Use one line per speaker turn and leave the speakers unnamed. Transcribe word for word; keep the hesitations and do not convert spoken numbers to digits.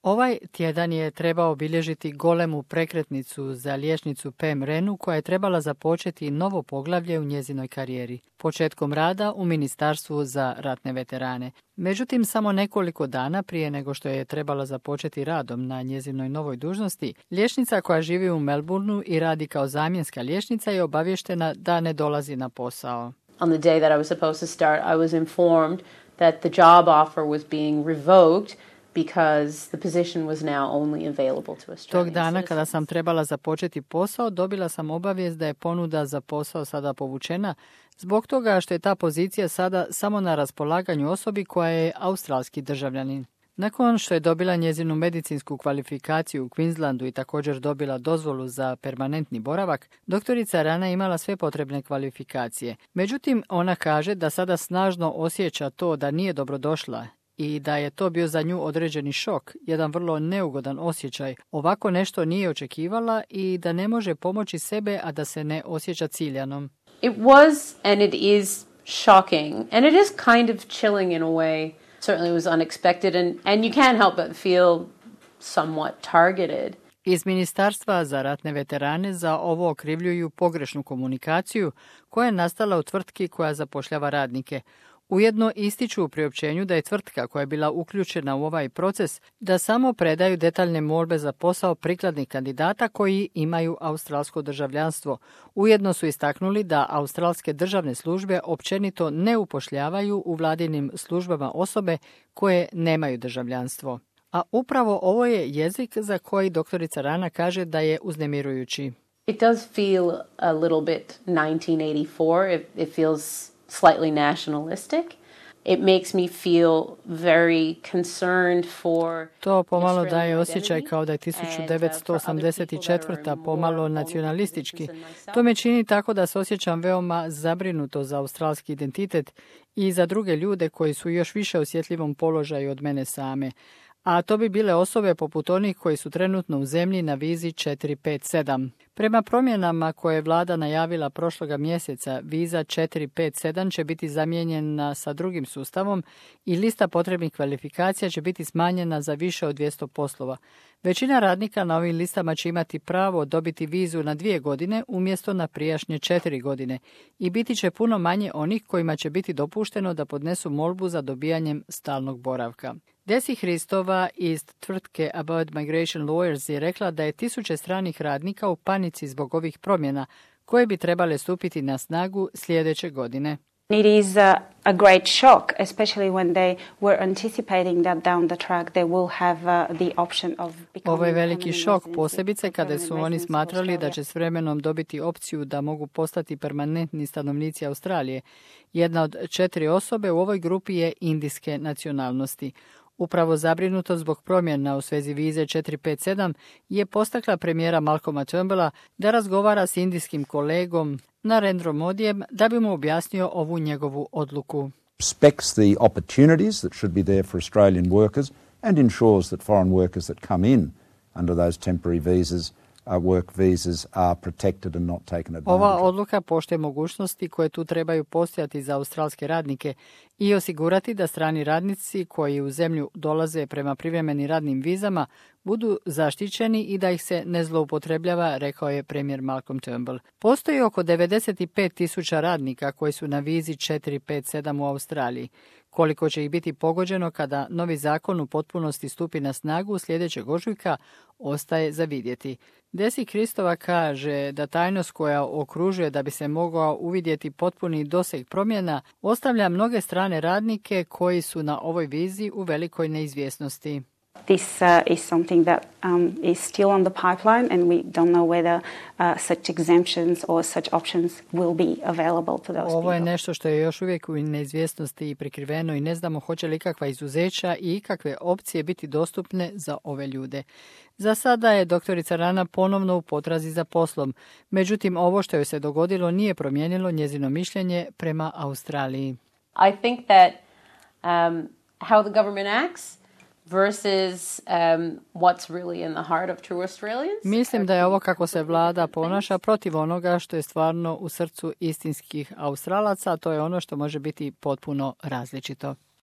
Ovaj tjedan je trebao obilježiti golemu prekretnicu za liječnicu Pam Renu koja je trebala započeti novo poglavlje u njezinoj karijeri, početkom rada u Ministarstvu za ratne veterane. Međutim, samo nekoliko dana prije nego što je trebala započeti radom na njezinoj novoj dužnosti, liječnica koja živi u Melbourneu i radi kao zamjenska liječnica je obavještena da ne dolazi na posao.
On the day that I was supposed to start, I was informed that the job offer was being revoked because the position was now only available to Australian
Tog dana
citizens.
kada sam trebala započeti posao, dobila sam obavijest da je ponuda za posao sada povučena zbog toga što je ta pozicija sada samo na raspolaganju osobi koja je australski državljanin. Nakon što je dobila njezinu medicinsku kvalifikaciju u Queenslandu i također dobila dozvolu za permanentni boravak, doktorica Rana imala sve potrebne kvalifikacije. Međutim, ona kaže da sada snažno osjeća to da nije dobrodošla i da je to bio za nju određeni šok, jedan vrlo neugodan osjećaj. Ovako nešto nije očekivala i da ne može pomoći sebe, a da se ne osjeća ciljanom.
It was and it is shocking and it is kind of chilling in a way. Certainly it was unexpected and, and you can't help but feel somewhat targeted.
Iz Ministarstva za ratne veterane za ovo okrivljuju pogrešnu komunikaciju koja je nastala u tvrtki koja zapošljava radnike. Ujedno ističu u priopćenju da je tvrtka koja je bila uključena u ovaj proces da samo predaju detaljne molbe za posao prikladnih kandidata koji imaju australsko državljanstvo. Ujedno su istaknuli da australske državne službe općenito ne upošljavaju u vladinim službama osobe koje nemaju državljanstvo. A upravo ovo je jezik za koji doktorica Rana kaže da je uznemirujući.
It does feel a little bit nineteen eighty-four. It, it feels slightly nationalistic. It makes me feel very concerned for
To pomalo daje osjećaj kao da je tisuću devetsto osamdeset četvrta pomalo nacionalistički. To me čini tako da se osjećam veoma zabrinuto za australski identitet i za druge ljude koji su još više osjetljivom položaju od mene same. A to bi bile osobe poput onih koji su trenutno u zemlji na vizi četiri pet sedam. Prema promjenama koje je vlada najavila prošloga mjeseca, viza četiri pet sedam će biti zamijenjena sa drugim sustavom i lista potrebnih kvalifikacija će biti smanjena za više od dvjesto poslova. Većina radnika na ovim listama će imati pravo dobiti vizu na dvije godine umjesto na prijašnje četiri godine i biti će puno manje onih kojima će biti dopušteno da podnesu molbu za dobijanjem stalnog boravka. Desi Hristova iz tvrtke About Migration Lawyers je rekla da je tisuće stranih radnika u panici zbog ovih promjena koje bi trebale stupiti na snagu sljedeće godine.
It is a, a great shock, especially when they were anticipating that down the track they will have uh, the option of becoming
Ovo je veliki
permanent
šok,
residents,
posebice kada su
permanent
oni
residents of
smatrali da
Australia.
će s vremenom dobiti opciju da mogu postati permanentni stanovnici Australije. Jedna od četiri osobe u ovoj grupi je indijske nacionalnosti. Upravo zabrinuto zbog promjena u svezi vize četiri pet sedam je postakla premijera Malcolma Turnbulla da razgovara s indijskim kolegom Narendrom Modijem da bi mu objasnio ovu njegovu odluku.
Respects the opportunities that should be there for Australian workers and ensures that foreign workers that come in under those temporary visas, uh, work visas, are protected and not taken advantage
Ova
of.
odluka poštuje mogućnosti koje tu trebaju postojati za australske radnike i osigurati da strani radnici koji u zemlju dolaze prema privremenim radnim vizama budu zaštićeni i da ih se ne zloupotrebljava, rekao je premijer Malcolm Turnbull. Postoji oko devedeset pet tisuća radnika koji su na vizi četiri pet sedam u Australiji. Koliko će ih biti pogođeno kada novi zakon u potpunosti stupi na snagu sljedećeg ožujka, ostaje za vidjeti. Desi Kristova kaže da tajnost koja okružuje da bi se mogao uvidjeti potpuni doseg promjena ostavlja mnoge strane radnike koji su na ovoj vizi u velikoj neizvjesnosti.
This uh, is something that um, is still on the pipeline and we don't know whether uh, such exemptions or such options will be available to those
Ovo je
people.
nešto što je još uvijek u neizvjesnosti i prikriveno i ne znamo hoće li kakva izuzeća i ikakve opcije biti dostupne za ove ljude. Za sada je doktorica Rana ponovno u potrazi za poslom, međutim ovo što joj se dogodilo nije promijenilo njezino mišljenje prema Australiji.
I think that um, how the government acts versus um, what's really in the heart of true Australians.
Mislim da je ovo kako se vlada ponaša protiv onoga što je stvarno u srcu istinskih Australaca, a to je ono što može biti potpuno različito.